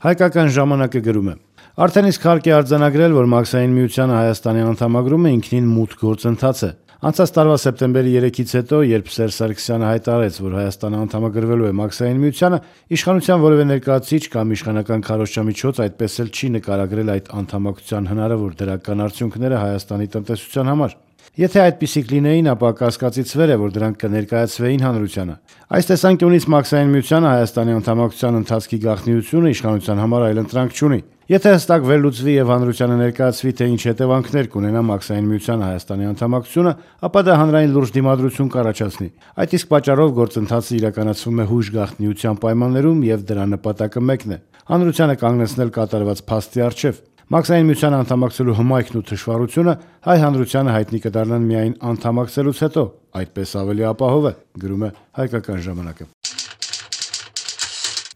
Հայկական ժամանակը գրում է. Արդեն իսկ հարկ է արձանագրել, որ Մաքսային միությանը Հայաստանի անդամագրումը ինքնին մութ գործընթաց է։ Անցած տարվա սեպտեմբերի 3-ից հետո, երբ Սերժ Սարգսյանը հայտարարեց, որ Հայաստանը անդամագրվելու է Մաքսային միությանը, իշխանության որևէ ներկայացուցիչ կամ իշխանական քարոզչամիջոց այդպես էլ չի նկարագրել այդ անդամակցության հնարավոր դրական արդյունքները Հայաստանի տնտեսության համար։ Եթե այդպիսիք լինեին, ապա կասկածից վեր է, որ դրանք կներկայացվեին հանրությանը։ Այս տեսանկյունից Մաքսային միությանը Հայաստանի անդամակցության ընթացքի գաղտնիությունը իշխանության համար այլընտրանք չունի։ Եթե հստակ վերլուծվի եւ հանրությանը ներկայացվի, թե ինչ հետևանքներ կունենա Մաքսային միությանը Հայաստանի անդամակցությունը, ապա դա հանրային լուրջ դիմադրություն կառաջացնի։ Այդ իսկ պատճառով գործընթացը իրականացվում է հույժ գաղտնիության պայմաններում եւ դրա նպատակը մեկն է՝ հանրությանը կանգնեցնել կատարված փաստի առջեւ։ Մաքսային միությանը անդամակցելու հմայքն ու թշվառությունը հայ հանրությանը հայտնի կդառնան միայն անդամակցելուց հետո, այդպես ավելի ապահով է, գրում է Հայկական ժամանակը։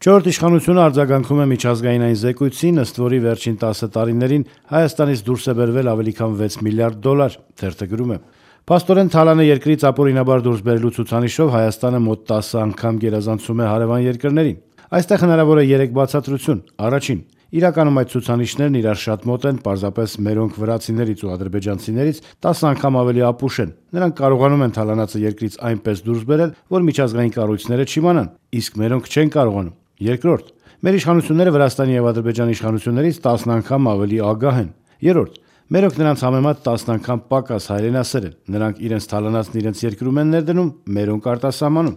Չորրորդ իշխանությունը արձագանքում է միջազգային այն զեկույցին, ըստ որի վերջին 10 տարիներին Հայաստանից դուրս է բերվել ավելի քան $6 միլիարդ, թերթը գրում է։ Փաստորեն Թալանը երկրից ապօրինաբար դուրս բերելու ցուցանիշով Հայաստանը մոտ 10 անգամ գերազանցում է հարևան երկրներին։ Այստեղ հնարավոր է 3 բացատրություն։ Առաջին, իրականում այդ ցուցանիշներն իրար շատ մոտ են, պարզապես մերոնք վրացիներից ու ադրբեջանցիներից 10 անգամ ավելի ապուշ են։ Նրանք կարողանում են Թալանացը երկրից այնպես դուրս բերել, որ միջազգային կառույցները չիմանան, իսկ մերոնք չեն կարողանում։ Երկրորդ, մեր իշխանությունները Վրաստանի եւ Ադրբեջանի իշխանություններից 10 անգամ ավելի ագահ են։ Երրորդ, մերոնք նրանց համեմատ 10 անգամ պակաս հայրենասեր են։ Նրանք իրենց Թալանացն իրենց երկրում են ներդնում, մերոնք արտասահմանում։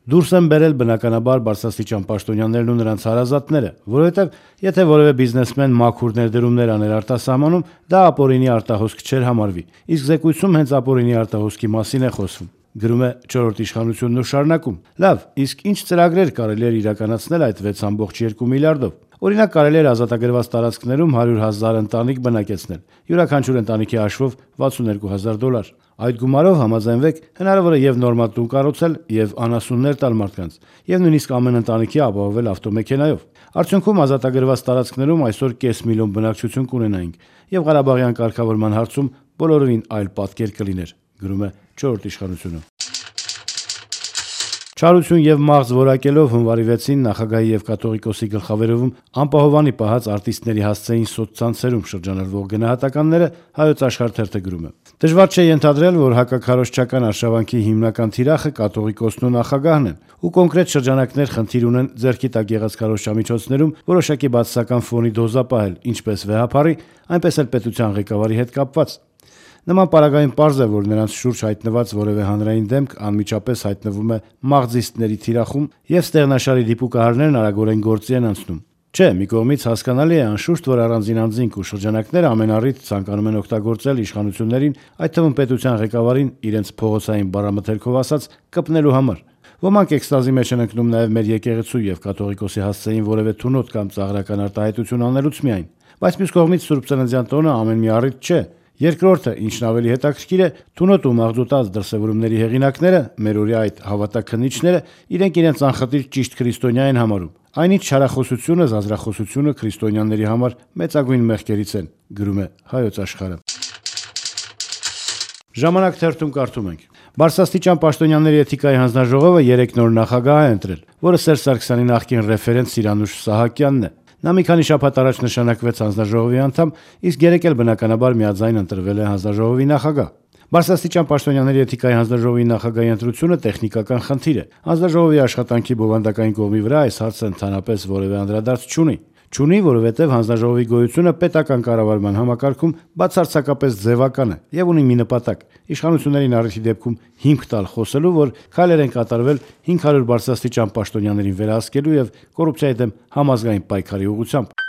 Դուրս են բերել բնականաբար բարձրաստիճան պաշտոնյաներն ու նրանց հարազատները, որովհետև եթե որևէ բիզնեսմեն մաքուր ներդրումներ աներ արտասահմանում, դա ապօրինի արտահոսք չէր համարվի։ Իսկ զեկույցում հենց ապօրինի արտահոսքի մասին է խոսվում։ Գրում է չորրորդ իշխանությունն ու շարունակում. Լավ, իսկ ինչ ծրագրեր կարելի էր իրականացնել այդ 6.2 միլիարդով։ Օրինակ կարելի էր ազատագրված տարածքներում 100,000 ընտանիք բնակեցնել, յուրաքանչյուր ընտանիքի հաշվով $62,000։ Այդ գումարով համաձայնվեք, հնարավոր է եւ նորմալ տուն կառուցել, եւ անասուններ տալ մարդկանց, եւ նույնիսկ ամեն ընտանիքի ապահովել ավտոմեքենայով։ Արդյունքում ազատագրված տարածքներում այսօր 500,000 բնակչություն կունենայինք, եւ Ղարաբաղյան կարգավորման հարցում բոլորովին այլ պատկեր կլիներ, գրում է չորրորդ իշխանությունը։ Չարություն եւ մաղձ որակելով հունվարի 6-ին նախագահի եւ կաթողիկոսի գլխավերեվում անպահովանի պահած արտիստների հասցեին սոցցանցերում շրջանառվող գնահատականները Հայոց Աշխարհ թերթը գրում է։ Դժվար չէ ենթադրել, որ հակաքարոզչական արշավանքի հիմնական թիրախը կաթողիկոսն ու նախագահն են, ու կոնկրետ շրջանակներ խնդիր ունեն ձեռքի տակ եղած քարոզչամիջոցներում որոշակի բացասական ֆոնի դոզապահել, ինչպես վեհապարի, այնպես էլ պետության ղեկավարի հետ կապված։ Նման պարագային պարզ է, որ նրանց շուրջ հայտնված որևէ հանրային դեմք անմիջապես հայտնվում է մաղձիստների թիրախում եւ ստեղնաշարի դիպուկահարներն արագորեն գործի են անցնում։ Չէ, մի կողմից հասկանալի է անշուշտ, որ առանձին անձինք ու շրջանակները ամեն առիթ ցանկանում են օգտագործել իշխանություններին, այդ թվում պետության ղեկավարին իրենց փողոցային բառամթերքով ասած կպնելու համար։ Ոմանք էքստազի մեջ են ընկնում նաեւ մեր եկեղեցու եւ կաթողիկոսի հասցեին որևէ թունոտ կամ ծաղրական արտահայտություն անելուց միայն։ Բայց մյուս կողմից Սուրբ Ծննդյան տոնը ամեն մի առիթ չէ։ Երկրորդը, ինչն ավելի հետաքրքիր է, թունոտ ու մաղձոտած դրսևորումների հեղինակները, մերօրյա այդ հավատաքննիչները, իրենք անխտիր ճիշտ քրիստոնյա են համարում։ Այնինչ չարախոսությունը, զազրախոսությունը քրիստոնյաների համար մեծագույն մեղքերից են, գրում է Հայոց Աշխարհը։ Ժամանակ թերթում կարդում ենք. Բարձրաստիճան պաշտոնյաների էթիկայի հանձնաժողովը 3 նոր նախագահ է ընտրել, որը Սերժ Սարգսյանի նախկին ռեֆերենտ Սիրանուշ Սահակյանն է։ Նա մի քանի շաբաթ առաջ նշանակվեց հանձնաժողովի անդամ, իսկ երեկ էլ բնականաբար միաձայն ընտրվել է հանձնաժողովի նախագահ։ Բարձրաստիճան պաշտոնյաների էթիկայի հանձնաժողովի նախագահի ընտրությունը տեխնիկական խնդիր է։ Հանձնաժողովի աշխատանքի բովանդակային կողմի վրա այս հարցը ընդհանրապես որևէ անդրադարձ չունի, որովհետև հանձնաժողովի գոյությունը պետական կառավարման համակարգում բացարձակապես ձևական է եւ ունի մի նպատակ՝ իշխանություններին առիթի դեպքում հիմք տալ խոսելու, որ քայլեր են կատարվել 500 բարձրաստիճան պաշտոնյաներին վերահսկելու եւ կոռուպցիայի դեմ համազգային պայքարի ուղղությամբ։